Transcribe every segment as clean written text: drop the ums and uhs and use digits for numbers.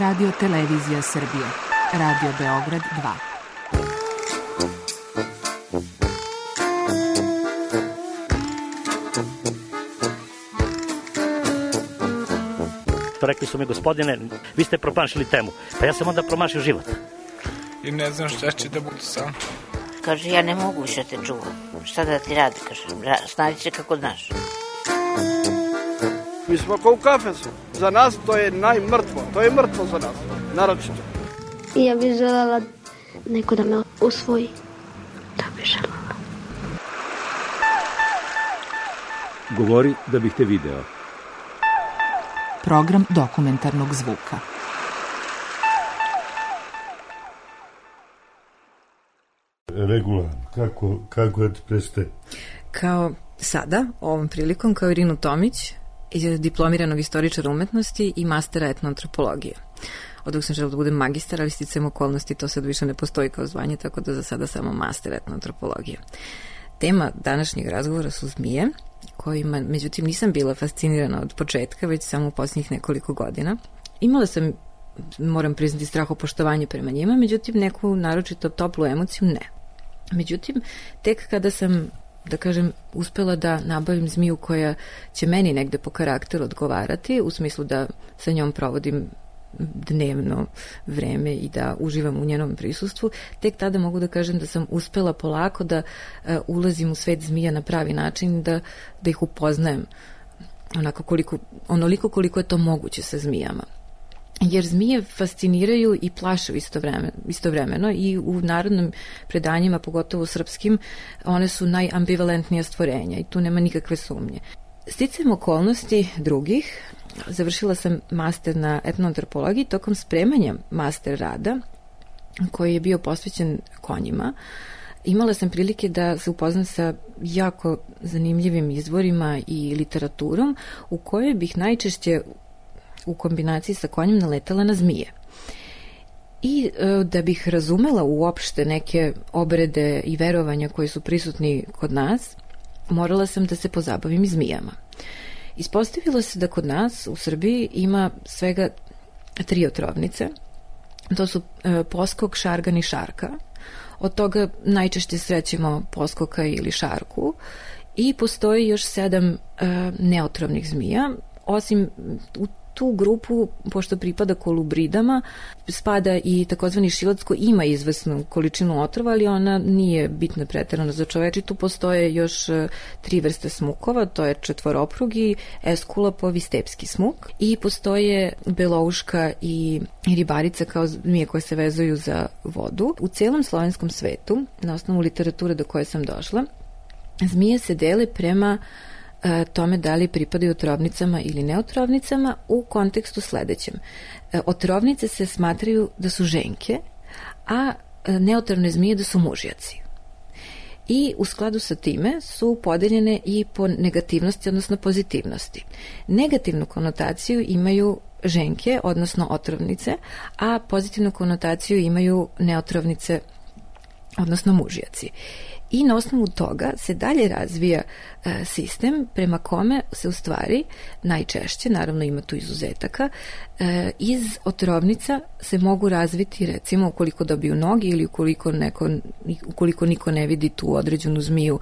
Radio Televizija Srbije. Radio Beograd 2. Rekli su mi, gospodine, vi ste promašili temu. Pa ja sam onda promašio život. I ne znam šta će da bude sam. Kaže, ja ne mogu više te čuvam. Šta da ti radi, kaže, snađi se kako znaš. Mi smo kao u kafesu. Za nas to je najmrtvo. To je mrtvo za nas, naročito. I ja bih želela neko da me usvoji. Da bih želela. Govori da bih te video. Program dokumentarnog zvuka. Regula, kako da ti prestaje? Kao sada, ovom prilikom, kao Irinu Tomić, diplomiranog istoričara umetnosti i mastera etnoantropologije. Od dok sam želeo da budem magistar, ali sticajem okolnosti to sad više ne postoji kao zvanje, tako da za sada samo master etnoantropologije. Tema današnjeg razgovora su zmije, kojima, međutim, nisam bila fascinirana od početka, već samo u posljednjih nekoliko godina. Imala sam, moram priznati, strahopoštovanje prema njima, međutim, neku naročito toplu emociju ne. Međutim, tek kada sam, da kažem, uspela da nabavim zmiju koja će meni negde po karakteru odgovarati, u smislu da sa njom provodim dnevno vreme i da uživam u njenom prisustvu, tek tada mogu da kažem da sam uspela polako da ulazim u svet zmija na pravi način, da ih upoznajem onoliko koliko je to moguće sa zmijama. Jer zmije fasciniraju i plaše istovremeno i u narodnim predanjima, pogotovo srpskim, one su najambivalentnija stvorenja i tu nema nikakve sumnje. Sticajem okolnosti drugih, završila sam master na etnoantropologiji. Tokom spremanja master rada, koji je bio posvećen konjima, imala sam prilike da se upoznam sa jako zanimljivim izvorima i literaturom u kojoj bih najčešće u kombinaciji sa konjem naletala na zmije. I da bih razumela uopšte neke obrede i verovanja koji su prisutni kod nas, morala sam da se pozabavim i zmijama. Ispostavilo se da kod nas u Srbiji ima svega 3 otrovnice. To su poskok, šargan i šarka. Od toga najčešće srećemo poskoka ili šarku. I postoji još 7 neotrovnih zmija. Osim u tu grupu, pošto pripada kolubridama, spada i takozvani šilac koji ima izvesnu količinu otrova, ali ona nije bitna preterano za čoveče. Tu postoje još 3 vrste smukova, to je četvoroprugi, eskulapov i stepski smuk, i postoje belouška i ribarica kao zmije koje se vezuju za vodu. U celom slovenskom svetu, na osnovu literature do koje sam došla, zmije se dele prema tome da li pripadaju otrovnicama ili neotrovnicama u kontekstu sledećem. Otrovnice se smatraju da su ženke, a neotrovne zmije da su mužjaci. I u skladu sa time su podeljene i po negativnosti, odnosno pozitivnosti. Negativnu konotaciju imaju ženke, odnosno otrovnice, a pozitivnu konotaciju imaju neotrovnice, odnosno mužjaci. I na osnovu toga se dalje razvija sistem prema kome se u stvari najčešće, naravno ima tu izuzetaka, iz otrovnica se mogu razviti, recimo, ukoliko dobiju noge ili ukoliko niko ne vidi tu određenu zmiju,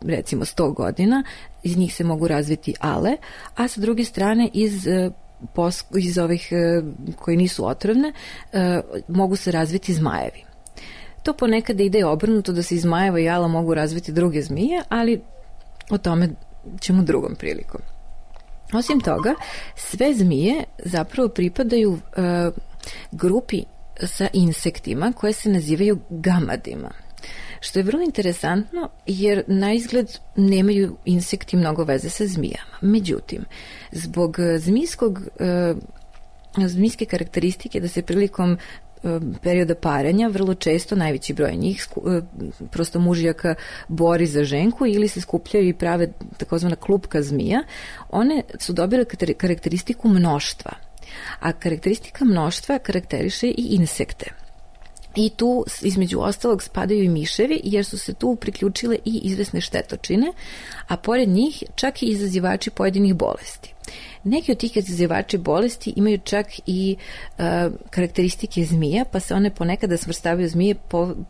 recimo 100 godina, iz njih se mogu razviti ale, a sa druge strane iz ovih koji nisu otrovne mogu se razviti zmajevi. To ponekad ide obrnuto, da se iz zmajeva i ala mogu razviti druge zmije, ali o tome ćemo drugom prilikom. Osim toga, sve zmije zapravo pripadaju grupi sa insektima koje se nazivaju gamadima. Što je vrlo interesantno, jer naizgled nemaju insekti mnogo veze sa zmijama. Međutim, zbog zmijske karakteristike da se prilikom perioda parenja vrlo često najveći broj njih, prosto mužjaka, bori za ženku ili se skupljaju i prave takozvana klupka zmija. One su dobile karakteristiku mnoštva, a karakteristika mnoštva karakteriše i insekte. I tu između ostalog spadaju i miševi, jer su se tu priključile i izvesne štetočine, a pored njih čak i izazivači pojedinih bolesti. Neki od tih izazivači bolesti imaju čak i karakteristike zmija, pa se one ponekada svrstavaju zmije,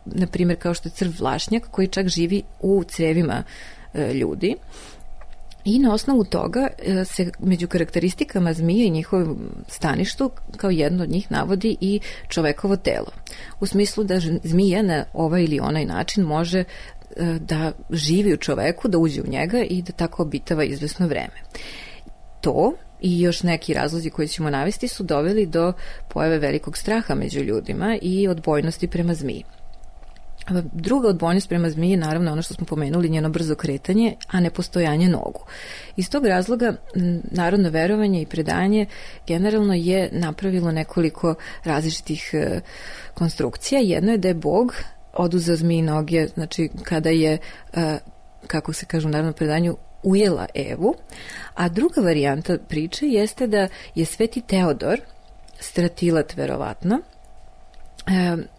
na primjer kao što je crv vlašnjak, koji čak živi u crevima ljudi. I na osnovu toga se među karakteristikama zmije i njihovom staništu kao jedno od njih navodi i čovekovo telo. U smislu da zmija na ovaj ili onaj način može da živi u čoveku, da uđe u njega i da tako obitava izvesno vreme. To i još neki razlozi koji ćemo navesti su doveli do pojave velikog straha među ljudima i odbojnosti prema zmiji. Druga odbojnost prema zmiji je naravno ono što smo pomenuli, njeno brzo kretanje, a ne postojanje nogu. Iz tog razloga narodno verovanje i predanje generalno je napravilo nekoliko različitih konstrukcija. Jedno je da je Bog oduzeo zmiji noge, znači kada je, kako se kaže u narodnom predanju, ujela Evu, a druga varijanta priče jeste da je Sveti Teodor, stratilat verovatno,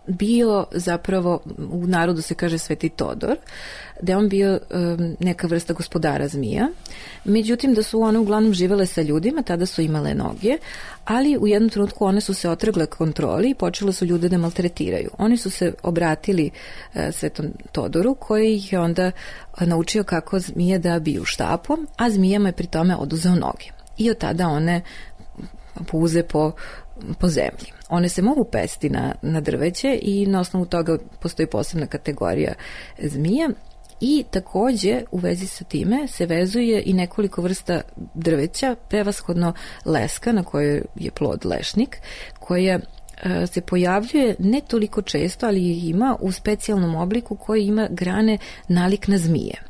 bio zapravo, u narodu se kaže Sveti Todor, da je on bio neka vrsta gospodara zmija, međutim da su one uglavnom živele sa ljudima, tada su imale noge, ali u jednom trenutku one su se otrgle kontroli i počele su ljude da maltretiraju. Oni su se obratili Svetom Todoru, koji ih je onda naučio kako zmije da biju štapom, a zmijama je pri tome oduzeo noge. I od tada one puze po zemlji. One se mogu pesti na drveće i na osnovu toga postoji posebna kategorija zmija i takođe u vezi sa time se vezuje i nekoliko vrsta drveća, prevashodno leska na kojoj je plod lešnik, koja se pojavljuje ne toliko često, ali ih ima u specijalnom obliku koji ima grane nalik na zmije.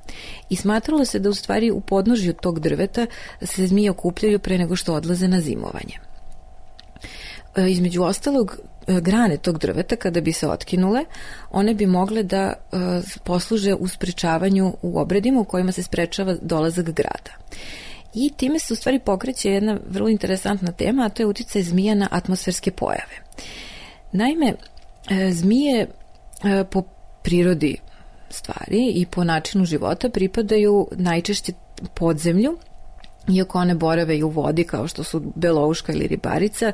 I smatralo se da u stvari u podnožju tog drveta se zmije okupljaju pre nego što odlaze na zimovanje. Između ostalog, grane tog drveta, kada bi se otkinule, one bi mogle da posluže u sprečavanju u obredima u kojima se sprečava dolazak grada. I time se u stvari pokreće jedna vrlo interesantna tema, a to je uticaj zmija na atmosferske pojave. Naime, zmije po prirodi stvari i po načinu života pripadaju najčešće podzemlju, iako one borave i u vodi kao što su belouška ili ribarica,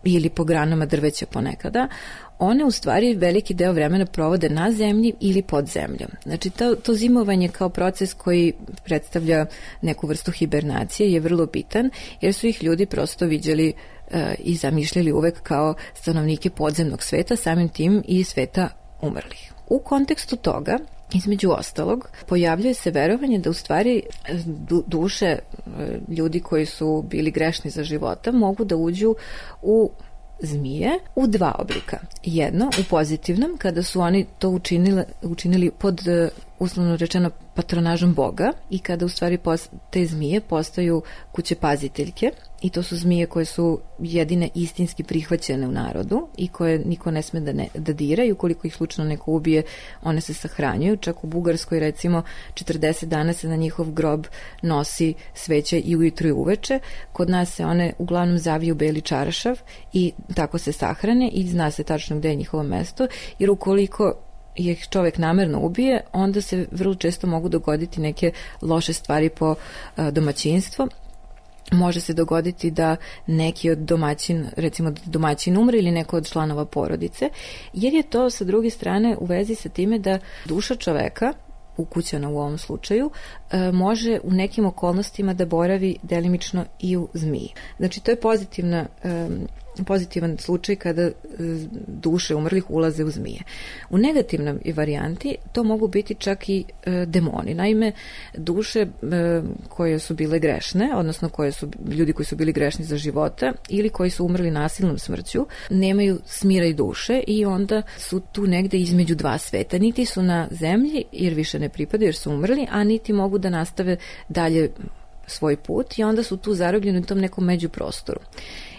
ili po granama drveća ponekada, one u stvari veliki deo vremena provode na zemlji ili pod zemljom. Znači to zimovanje kao proces koji predstavlja neku vrstu hibernacije je vrlo bitan, jer su ih ljudi prosto viđali i zamišljali uvek kao stanovnike podzemnog sveta, samim tim i sveta umrlih. U kontekstu toga, između ostalog, pojavljuje se verovanje da u stvari duše ljudi koji su bili grešni za života mogu da uđu u zmije u dva oblika. Jedno, u pozitivnom, kada su oni to učinili pod, uslovno rečeno, patronažom Boga i kada u stvari te zmije postaju kuće paziteljke i to su zmije koje su jedine istinski prihvaćene u narodu i koje niko ne sme da dira i ukoliko ih slučajno neko ubije, one se sahranjuju. Čak u Bugarskoj recimo 40 dana se na njihov grob nosi sveće i ujutru i uveče. Kod nas se one uglavnom zaviju beli čarašav i tako se sahrane i zna se tačno gde je njihovo mesto, jer ukoliko ih čovek namerno ubije, onda se vrlo često mogu dogoditi neke loše stvari po domaćinstvo. Može se dogoditi da neki od domaćin umre ili neko od članova porodice, jer je to sa druge strane u vezi sa time da duša čoveka, ukućana u ovom slučaju, može u nekim okolnostima da boravi delimično i u zmiji. Znači to je pozitivan slučaj kada duše umrlih ulaze u zmije. U negativnoj varijanti to mogu biti čak i demoni. Naime, duše koje su bile grešne, odnosno ljudi koji su bili grešni za života ili koji su umrli nasilnom smrću, nemaju smira i duše i onda su tu negde između dva sveta. Niti su na zemlji jer više ne pripadaju jer su umrli, a niti mogu da nastave dalje svoj put i onda su tu zarobljeni u tom nekom međuprostoru.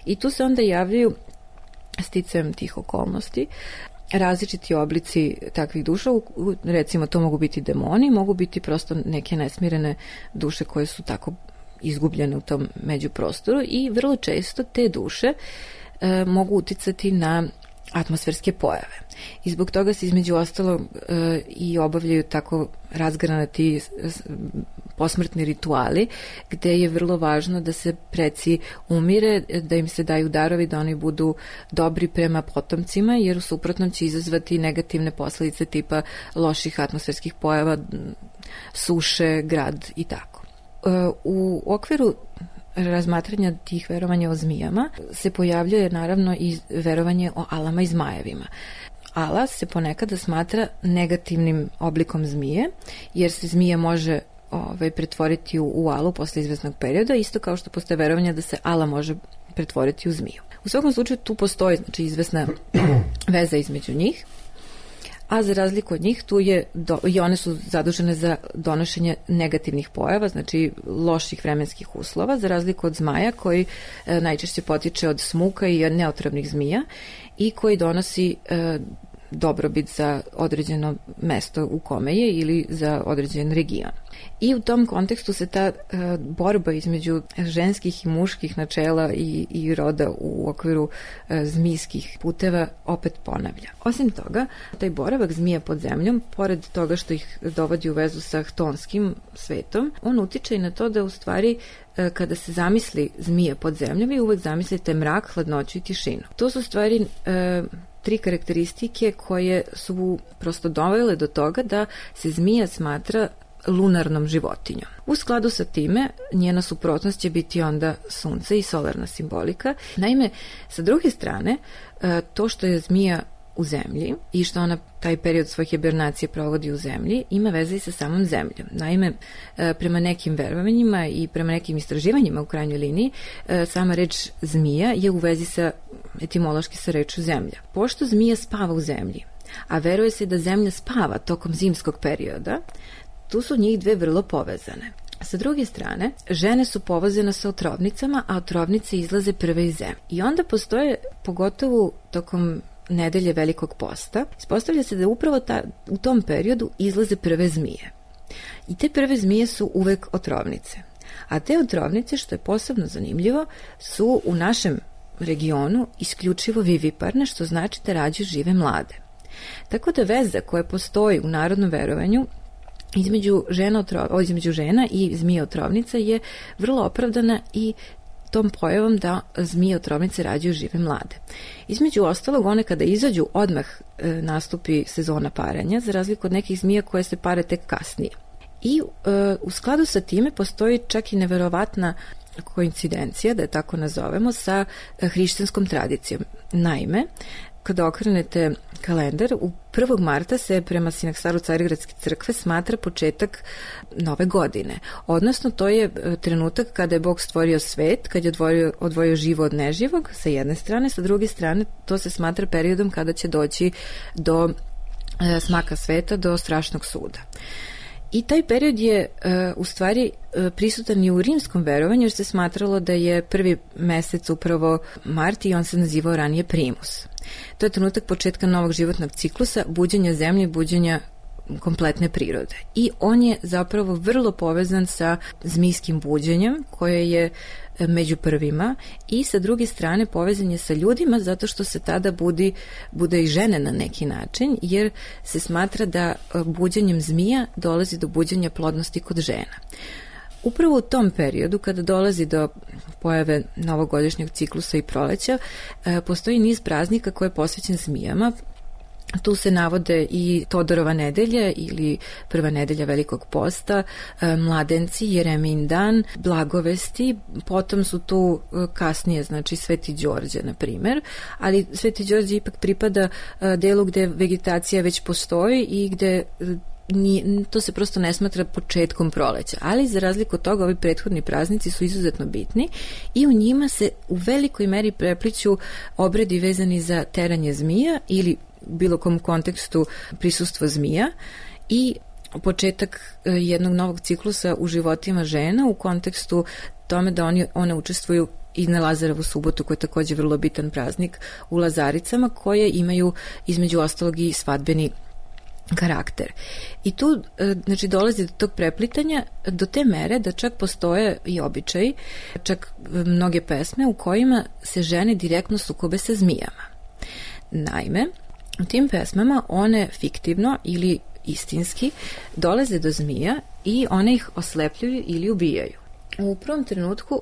I tu se onda javljaju, sticajem tih okolnosti, različiti oblici takvih duša, recimo to mogu biti demoni, mogu biti prosto neke nesmirene duše koje su tako izgubljene u tom međuprostoru i vrlo često te duše mogu uticati na atmosferske pojave. I zbog toga se između ostalog i obavljaju tako razgranati posmrtni rituali, gde je vrlo važno da se preci umire, da im se daju darovi, da oni budu dobri prema potomcima, jer u suprotnom će izazvati negativne posledice tipa loših atmosferskih pojava, suše, grad i tako. U okviru razmatranja tih verovanja o zmijama se pojavljuje naravno i verovanje o alama i zmajevima. Ala se ponekada smatra negativnim oblikom zmije, jer se zmija može pretvoriti u alu posle izvesnog perioda, isto kao što postoje verovanja da se ala može pretvoriti u zmiju. U svakom slučaju tu postoji izvesna veza između njih, a za razliku od njih tu je i one su zadužene za donošenje negativnih pojava, znači loših vremenskih uslova, za razliku od zmaja koji najčešće potiče od smuka i od neotrovnih zmija i koji donosi dobrobit za određeno mesto u kome je ili za određen region. I u tom kontekstu se ta borba između ženskih i muških načela i roda u okviru zmijskih puteva opet ponavlja. Osim toga, taj boravak zmija pod zemljom, pored toga što ih dovodi u vezu sa htonskim svetom, on utiče i na to da u stvari kada se zamisli zmija pod zemljom, vi uvek zamislite mrak, hladnoću i tišinu. To su stvari tri karakteristike koje su prosto dovele do toga da se zmija smatra lunarnom životinjom. U skladu sa time, njena suprotnost će biti onda sunce i solarna simbolika. Naime, sa druge strane, to što je zmija u zemlji i što ona taj period svoje hibernacije provodi u zemlji, ima veze i sa samom zemljom. Naime, prema nekim verovanjima i prema nekim istraživanjima u krajnjoj liniji, sama reč zmija je u vezi sa etimološki sa rečju zemlja. Pošto zmija spava u zemlji, a veruje se da zemlja spava tokom zimskog perioda, tu su njih dve vrlo povezane. Sa druge strane, žene su povezane sa otrovnicama, a otrovnice izlaze prve iz zemlje. I onda postoje, pogotovo tokom nedelje Velikog posta, ispostavlja se da upravo u tom periodu izlaze prve zmije. I te prve zmije su uvek otrovnice. A te otrovnice, što je posebno zanimljivo, su u našem regionu isključivo viviparne, što znači da rađaju žive mlade. Tako da veza koja postoji u narodnom verovanju između žena i zmije otrovnica je vrlo opravdana i tom pojavom da zmije otrovnice rađaju žive mlade. Između ostalog, one kada izađu, odmah nastupi sezona paranja, za razliku od nekih zmija koje se pare tek kasnije. I u skladu sa time postoji čak i neverovatna koincidencija, da je tako nazovemo, sa hrišćanskom tradicijom. Naime, kada okrenete kalendar, u 1. marta se prema Sinaksaru Carigradske crkve smatra početak nove godine. Odnosno, to je trenutak kada je Bog stvorio svet, kad je odvojio živo od neživog, sa jedne strane, sa druge strane, to se smatra periodom kada će doći do smaka sveta, do strašnog suda. I taj period je u stvari prisutan i u rimskom verovanju, jer se smatralo da je prvi mesec upravo mart i on se nazivao ranije primus. To je trenutak početka novog životnog ciklusa, buđenja zemlje, buđenja kompletne prirode. I on je zapravo vrlo povezan sa zmijskim buđenjem, koje je među prvima, i sa druge strane povezan je sa ljudima, zato što se tada bude i žene na neki način, jer se smatra da buđenjem zmija dolazi do buđenja plodnosti kod žena. Upravo u tom periodu, kada dolazi do pojave novogodišnjeg ciklusa i proleća, postoji niz praznika koji je posvećen zmijama. Tu se navode i Todorova nedelja ili prva nedelja Velikog posta, mladenci, Jeremin dan, blagovesti, potom su tu kasnije, znači Sveti Đorđe, na primer, ali Sveti Đorđe ipak pripada delu gde vegetacija već postoji i gde to se prosto ne smatra početkom proleća, ali za razliku od toga ovi prethodni praznici su izuzetno bitni i u njima se u velikoj meri prepliću obredi vezani za teranje zmija ili bilo kom kontekstu prisustvo zmija i početak jednog novog ciklusa u životima žena u kontekstu tome da one učestvuju i na Lazarevu subotu, koja je takođe vrlo bitan praznik u Lazaricama, koje imaju između ostalog i svadbeni karakter. I tu znači dolazi do tog preplitanja do te mere da čak postoje i običaji, čak mnoge pesme u kojima se žene direktno sukobe sa zmijama. Naime, u tim pesmama one fiktivno ili istinski dolaze do zmija i one ih oslepljuju ili ubijaju. U prvom trenutku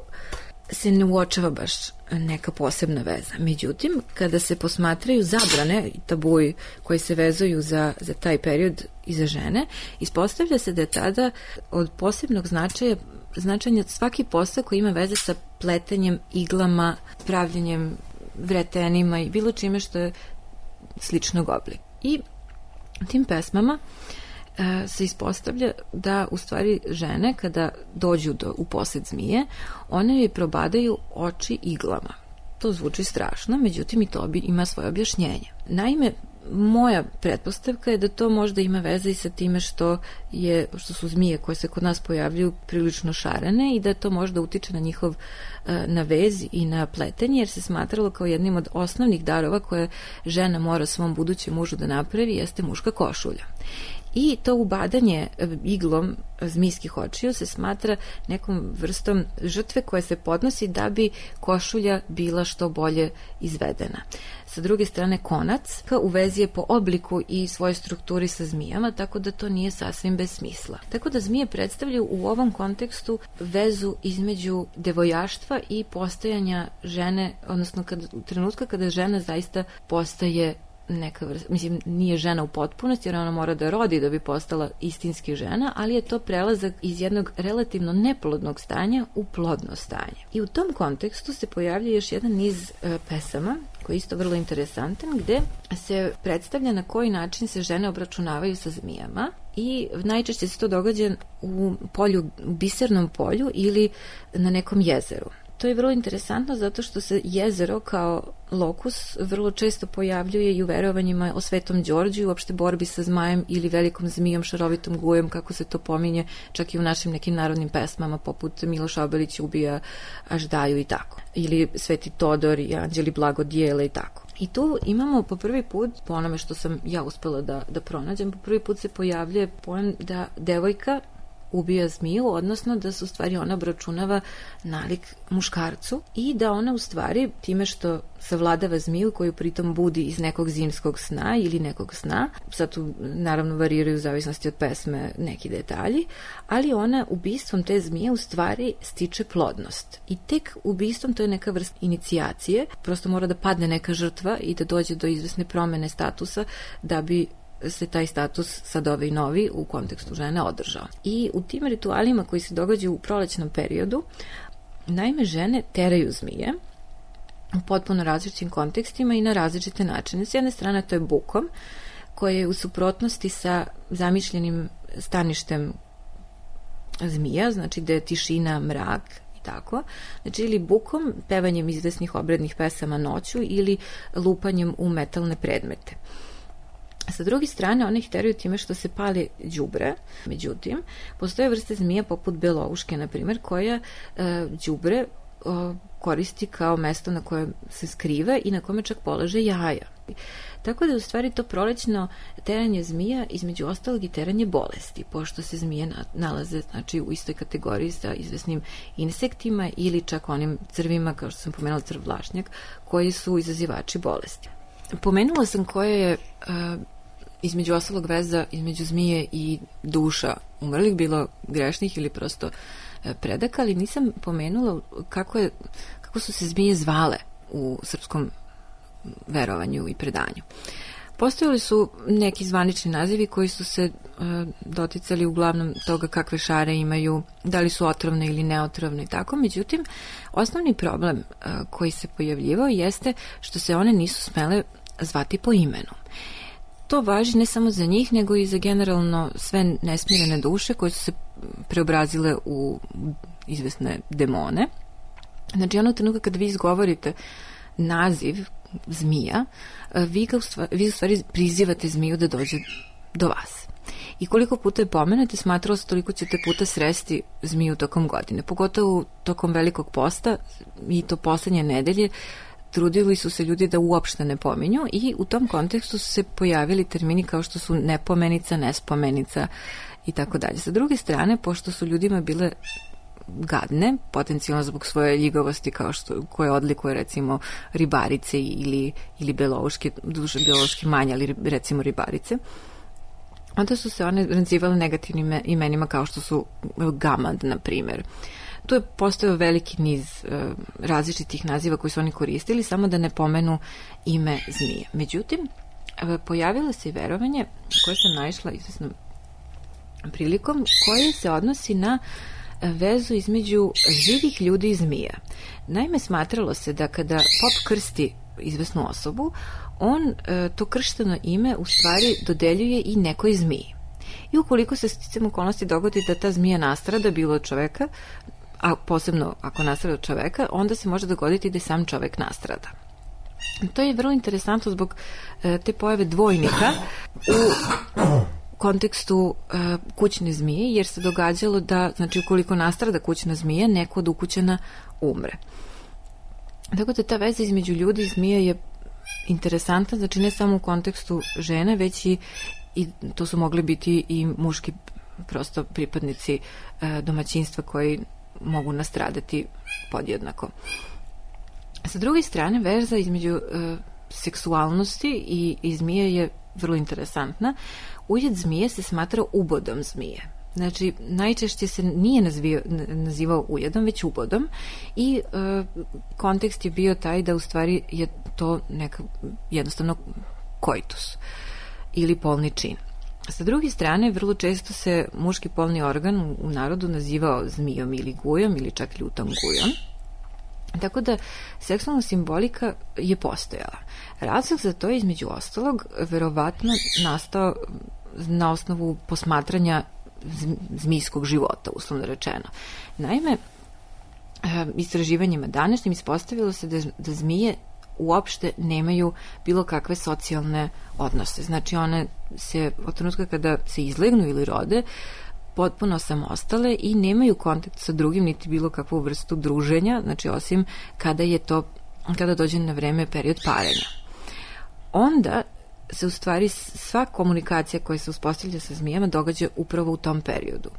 se ne uočava baš neka posebna veza. Međutim, kada se posmatraju zabrane i tabuji koji se vezuju za taj period i za žene, ispostavlja se da je tada od posebnog značenja svaki posao koji ima veze sa pletenjem, iglama, pravljenjem vretenima i bilo čime što je sličnog oblika. I tim pesmama se ispostavlja da u stvari žene kada dođu u posed zmije, one joj probadaju oči iglama. To zvuči strašno, međutim i to ima svoje objašnjenje. Naime, moja pretpostavka je da to možda ima veze i sa time što su zmije koje se kod nas pojavljuju prilično šarene i da to možda utiče na vez i na pletenje, jer se smatralo kao jednim od osnovnih darova koje žena mora svom budućem mužu da napravi jeste muška košulja. I to ubadanje iglom zmijskih očiju se smatra nekom vrstom žrtve koja se podnosi da bi košulja bila što bolje izvedena. Sa druge strane, konac u vezi je po obliku i svojoj strukturi sa zmijama, tako da to nije sasvim bez smisla. Tako da zmije predstavljaju u ovom kontekstu vezu između devojaštva i postojanja žene, odnosno u trenutku kada žena zaista postaje neka vrsta, mislim, nije žena u potpunosti jer ona mora da rodi da bi postala istinski žena, ali je to prelazak iz jednog relativno neplodnog stanja u plodno stanje. I u tom kontekstu se pojavlja još jedan niz pesama koji je isto vrlo interesantan, gde se predstavlja na koji način se žene obračunavaju sa zmijama i najčešće se to događa u bisernom polju ili na nekom jezeru. To je vrlo interesantno zato što se jezero kao lokus vrlo često pojavljuje i u verovanjima o Svetom Đorđu i uopšte borbi sa zmajem ili velikom zmijom, šarovitom gujem, kako se to pominje čak i u našim nekim narodnim pesmama poput Miloša Obilić ubija Aždaju i tako. Ili Sveti Todor i Anđeli blagodijele i tako. I tu imamo po prvi put, po onome što sam ja uspela da pronađem, po prvi put se pojavljuje pojam da devojka ubija zmiju, odnosno da se u stvari ona obračunava nalik muškarcu i da ona u stvari time što savladava zmiju koju pritom budi iz nekog zimskog sna ili nekog sna, sad tu naravno variraju u zavisnosti od pesme neki detalji, ali ona ubistvom te zmije u stvari stiče plodnost. I tek ubistvom, to je neka vrsta inicijacije, prosto mora da padne neka žrtva i da dođe do izvesne promene statusa da bi se taj status sad ovaj novi u kontekstu žene održao. I u tim ritualima koji se događaju u prolećnom periodu, naime žene teraju zmije u potpuno različitim kontekstima i na različite načine. S jedne strane to je bukom, koje je u suprotnosti sa zamišljenim staništem zmija, znači da je tišina, mrak i tako. Znači ili bukom, pevanjem izvesnih obrednih pesama noću ili lupanjem u metalne predmete. Sa druge strane, one ih teraju time što se pali đubre. Međutim, postoje vrste zmija poput belouške, na primjer, koja đubre koristi kao mesto na kojem se skrive i na kome čak polaže jaja. Tako da je u stvari to prolećno teranje zmija između ostalog i teranje bolesti, pošto se zmije nalaze znači, u istoj kategoriji sa izvesnim insektima ili čak onim crvima, kao što sam pomenula crv vlašnjak, koji su izazivači bolesti. Pomenula sam koja je između ostalog veza između zmije i duša umrlih, bilo grešnih ili prosto predaka, ali nisam pomenula kako su se zmije zvale u srpskom verovanju i predanju. Postojali su neki zvanični nazivi koji su se doticali uglavnom toga kakve šare imaju, da li su otrovne ili neotrovne i tako. Međutim, osnovni problem koji se pojavljivao jeste što se one nisu smele zvati po imenu. To važi ne samo za njih, nego i za generalno sve nesmirene duše koje su se preobrazile u izvesne demone. Znači, onog trenutka kada vi izgovorite naziv zmija, vi u stvari prizivate zmiju da dođe do vas. I koliko puta je pomenete, smatralo se toliko ćete puta sresti zmiju tokom godine. Pogotovo tokom velikog posta i to poslednje nedelje, trudili su se ljudi da uopšte ne pominju i u tom kontekstu su se pojavili termini kao što su nepomenica, nespomenica i tako dalje. Sa druge strane, pošto su ljudima bile gadne, potencijalno zbog svoje ljigavosti koje odlikuje recimo ribarice ili belouške, duže belouške manje, ali recimo ribarice. Onda su se one nazivale negativnim imenima kao što su gamad, na primjer. Tu je postojao veliki niz različitih naziva koji su oni koristili, samo da ne pomenu ime zmije. Međutim, pojavilo se i verovanje koje sam naišla izvesnom prilikom, koje se odnosi na vezu između živih ljudi i zmija. Naime, smatralo se da kada pop krsti izvesnu osobu, on to kršteno ime u stvari dodeljuje i nekoj zmiji. I ukoliko se sticajem okolnosti dogodi da ta zmija nastrada bilo od čoveka, a posebno ako nastrada od čoveka, onda se može dogoditi da i sam čovek nastrada. To je vrlo interesantno zbog te pojave dvojnika u kontekstu kućne zmije, jer se događalo da, znači, ukoliko nastrada kućna zmija, neko od ukućana umre. Tako da ta veza između ljudi i zmije je interesantna, znači ne samo u kontekstu žene, već i to su mogli biti i muški prosto pripadnici domaćinstva koji mogu nastradati podjednako. Sa druge strane, veza između seksualnosti i zmije je vrlo interesantna. Ujed zmije se smatra ubodom zmije. Znači, najčešće se nije nazivao ujedom, već ubodom i kontekst je bio taj da u stvari je to jednostavno koitus ili polni čin. Sa druge strane, vrlo često se muški polni organ u narodu nazivao zmijom ili gujom ili čak ljutom gujom. Tako da seksualna simbolika je postojala. Razlog za to je između ostalog verovatno nastao na osnovu posmatranja zmijskog života, uslovno rečeno. Naime, istraživanjima današnjim ispostavilo se da zmije uopšte nemaju bilo kakve socijalne odnose. Znači, one se od trenutka kada se izlegnu ili rode potpuno samostale i nemaju kontakt sa drugim niti bilo kakvu vrstu druženja, znači osim kada dođe na vreme period parenja. Onda se u stvari sva komunikacija koja se uspostavlja sa zmijama događa upravo u tom periodu.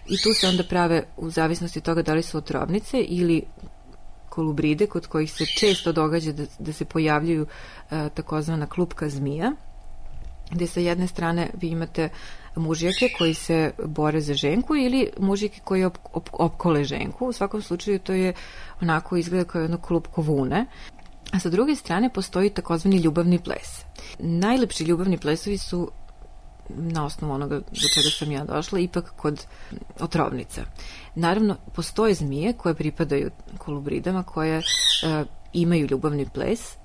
I tu se onda prave, u zavisnosti od toga da li su otrovnice ili kolubride, kod kojih se često događa da se pojavljuju takozvana klupka zmija, gde sa jedne strane vi imate mužjake koji se bore za ženku ili mužjake koji opkole ženku. U svakom slučaju to je onako izgleda kao jedno klupko vune. A sa druge strane postoji takozvani ljubavni ples. Najlepši ljubavni plesovi su, na osnovu onoga do čega sam ja došla, ipak kod otrovnica. Naravno, postoje zmije koje pripadaju kolubridama, koje imaju ljubavni ples,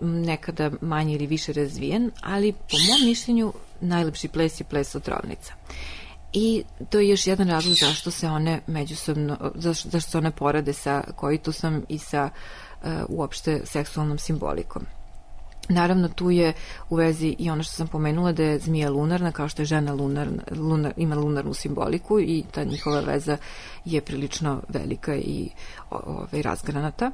nekada manje ili više razvijen, ali po mom mišljenju najlepši ples je ples otrovnica. I to je još jedan razlog zašto se one međusobno, zašto se one porade sa koitusom i sa uopšte seksualnom simbolikom. Naravno, tu je u vezi i ono što sam pomenula da je zmija lunarna, kao što je žena ima lunarnu simboliku i ta njihova veza je prilično velika i razgranata.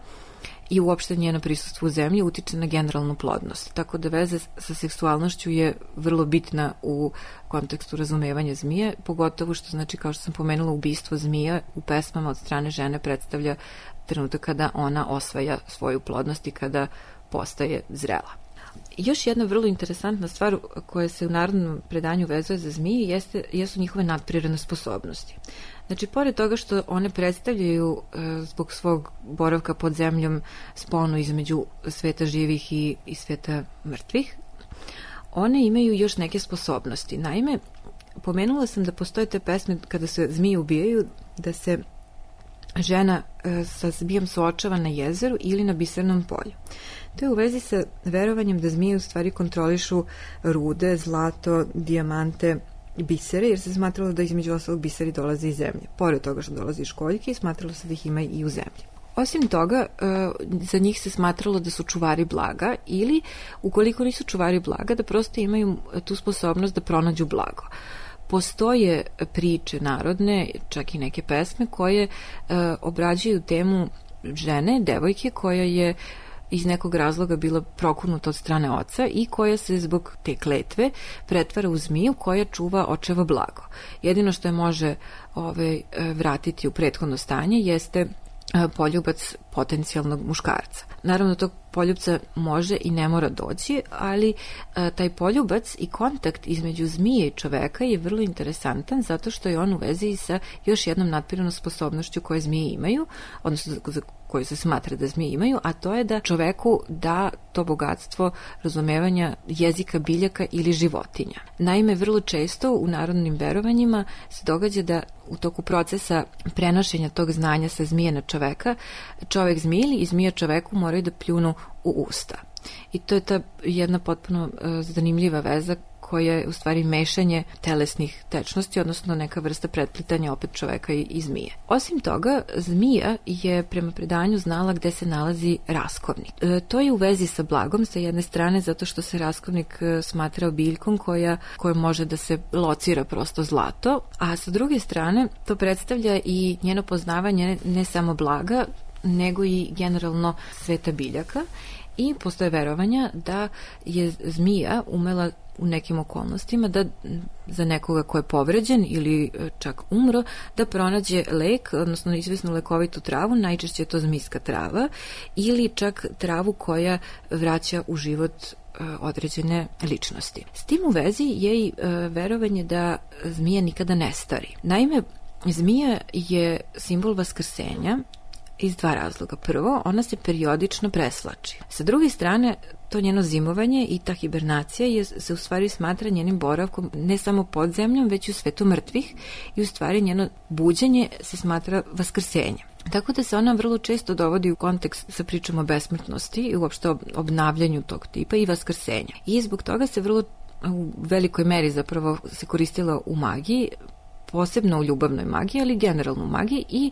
I uopšte njeno prisustvo u zemlji utiče na generalnu plodnost. Tako da veza sa seksualnošću je vrlo bitna u kontekstu razumevanja zmije, pogotovo što, znači, kao što sam pomenula, ubistvo zmija u pesmama od strane žene predstavlja trenutak kada ona osvaja svoju plodnost i kada postaje zrela. Još jedna vrlo interesantna stvar koja se u narodnom predanju vezuje za zmije jesu njihove nadprirodne sposobnosti. Znači, pored toga što one predstavljaju zbog svog boravka pod zemljom sponu između sveta živih i sveta mrtvih, one imaju još neke sposobnosti. Naime, pomenula sam da postoje te pesme kada se zmije ubijaju, da se žena sa zmijom suočava na jezeru ili na bisernom polju. To je u vezi sa verovanjem da zmije u stvari kontrolišu rude, zlato, dijamante, bisere, jer se smatralo da između ostalog biseri dolaze iz zemlje. Pored toga što dolaze iz školjke, smatralo se da ih ima i u zemlji. Osim toga, za njih se smatralo da su čuvari blaga ili, ukoliko nisu čuvari blaga, da prosto imaju tu sposobnost da pronađu blago. Postoje priče narodne, čak i neke pesme, koje obrađuju temu žene, devojke, koja je iz nekog razloga bila prokurnuta od strane oca i koja se zbog te kletve pretvara u zmiju koja čuva očevo blago. Jedino što je može vratiti u prethodno stanje jeste poljubac potencijalnog muškarca. Naravno, tog poljubca može i ne mora doći, ali taj poljubac i kontakt između zmije i čoveka je vrlo interesantan zato što je on u vezi sa još jednom nadprirodnom sposobnošću koje zmije imaju, odnosno za koju se smatra da zmije imaju, a to je da čoveku da to bogatstvo razumevanja jezika biljaka ili životinja. Naime, vrlo često u narodnim verovanjima se događa da u toku procesa prenošenja tog znanja sa zmije na čoveka, čovek zmiji i zmija čoveku moraju da pljunu u usta. I to je ta jedna potpuno zanimljiva veza koja je u stvari mešanje telesnih tečnosti, odnosno neka vrsta pretplitanja opet čoveka i zmije. Osim toga, zmija je prema predanju znala gde se nalazi raskovnik. To je u vezi sa blagom sa jedne strane zato što se raskovnik smatrao biljkom koja može da se locira prosto zlato, a sa druge strane to predstavlja i njeno poznavanje ne samo blaga, nego i generalno sveta biljaka i postoje verovanja da je zmija umela u nekim okolnostima da za nekoga ko je povređen ili čak umro, da pronađe lek, odnosno izvesnu lekovitu travu, najčešće je to zmijska trava, ili čak travu koja vraća u život određene ličnosti. S tim u vezi je i verovanje da zmija nikada ne stari. Naime, zmija je simbol vaskrsenja iz dva razloga. Prvo, ona se periodično preslači. Sa druge strane, to njeno zimovanje i ta hibernacija se u stvari smatra njenim boravkom ne samo pod zemljom, već i u svetu mrtvih i u stvari njeno buđenje se smatra vaskrsenjem. Tako da se ona vrlo često dovodi u kontekst sa pričom o besmrtnosti i uopšte o obnavljanju tog tipa i vaskrsenja. I zbog toga se vrlo u velikoj meri zapravo se koristila u magiji, posebno u ljubavnoj magiji, ali generalno u magiji i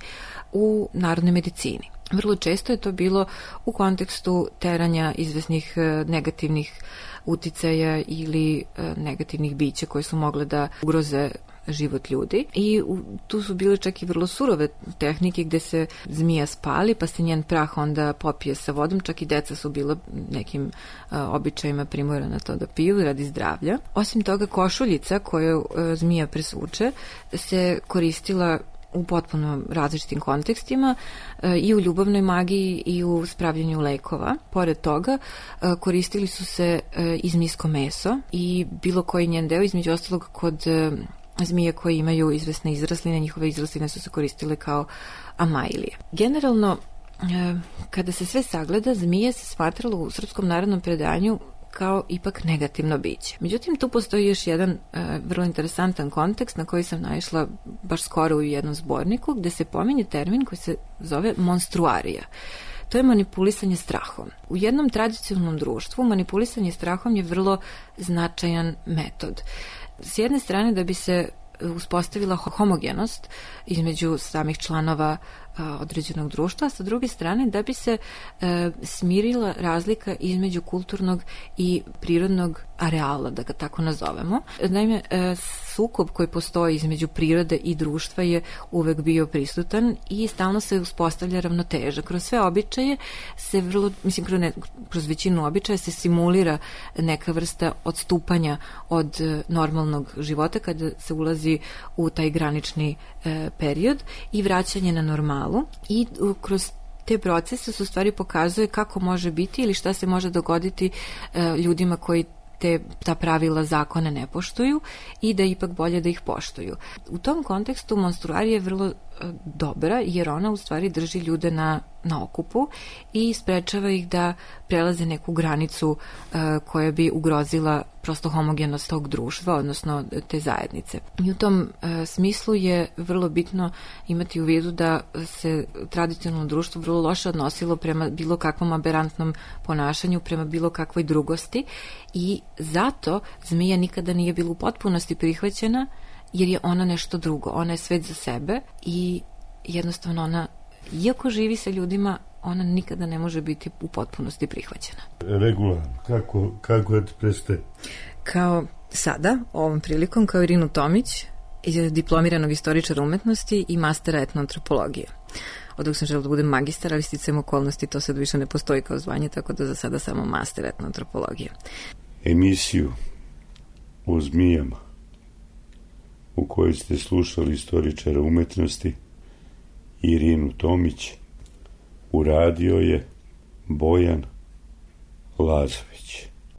u narodnoj medicini. Vrlo često je to bilo u kontekstu teranja izvesnih negativnih uticaja ili negativnih bića koje su mogle da ugroze život ljudi i tu su bile čak i vrlo surove tehnike gde se zmija spali pa se njen prah onda popije sa vodom, čak i deca su bila nekim običajima primorana to da piju radi zdravlja. Osim toga, košuljica koju zmija presvuče se koristila u potpuno različitim kontekstima i u ljubavnoj magiji i u spravljanju lekova. Pored toga koristili su se i zmijsko meso i bilo koji njen deo, između ostalog kod zmije koje imaju izvesne izrasline, njihove izrasline su se koristile kao amajlije. Generalno, kada se sve sagleda, zmije se smatralo u srpskom narodnom predanju kao ipak negativno biće. Međutim, tu postoji još jedan vrlo interesantan kontekst na koji sam naišla baš skoro u jednom zborniku, gde se pominje termin koji se zove monstruarija. To je manipulisanje strahom. U jednom tradicionalnom društvu manipulisanje strahom je vrlo značajan metod. S jedne strane, da bi se uspostavila homogenost između samih članova određenog društva, a sa druge strane da bi se smirila razlika između kulturnog i prirodnog areala, da ga tako nazovemo. Naime, sukob koji postoji između prirode i društva je uvek bio prisutan i stalno se uspostavlja ravnoteža. Kroz sve običaje se vrlo, kroz većinu običaja se simulira neka vrsta odstupanja od normalnog života kada se ulazi u taj granični period i vraćanje na normalu i kroz te procese se u stvari pokazuje kako može biti ili šta se može dogoditi ljudima koji ta pravila zakona ne poštuju i da je ipak bolje da ih poštuju. U tom kontekstu monstruarija je vrlo dobra jer ona u stvari drži ljude na okupu i sprečava ih da prelaze neku granicu koja bi ugrozila prosto homogenost tog društva, odnosno te zajednice. I u tom smislu je vrlo bitno imati u vidu da se tradicionalno društvo vrlo loše odnosilo prema bilo kakvom aberantnom ponašanju, prema bilo kakvoj drugosti i zato zmija nikada nije bila u potpunosti prihvaćena jer je ona nešto drugo. Ona je svet za sebe i jednostavno ona, iako živi sa ljudima, ona nikada ne može biti u potpunosti prihvaćena. Regula, kako da ti prestaje? Kao sada, ovom prilikom, kao Irinu Tomić, diplomiranog istoričara umetnosti i mastera etnoantropologije. Od dok sam želela da budem magistar, ali sticajem okolnosti to sad više ne postoji kao zvanje, tako da za sada samo master etnoantropologije. Emisiju o zmijama u kojoj ste slušali istoričara umetnosti Irinu Tomić, uradio je Bojan Lazović.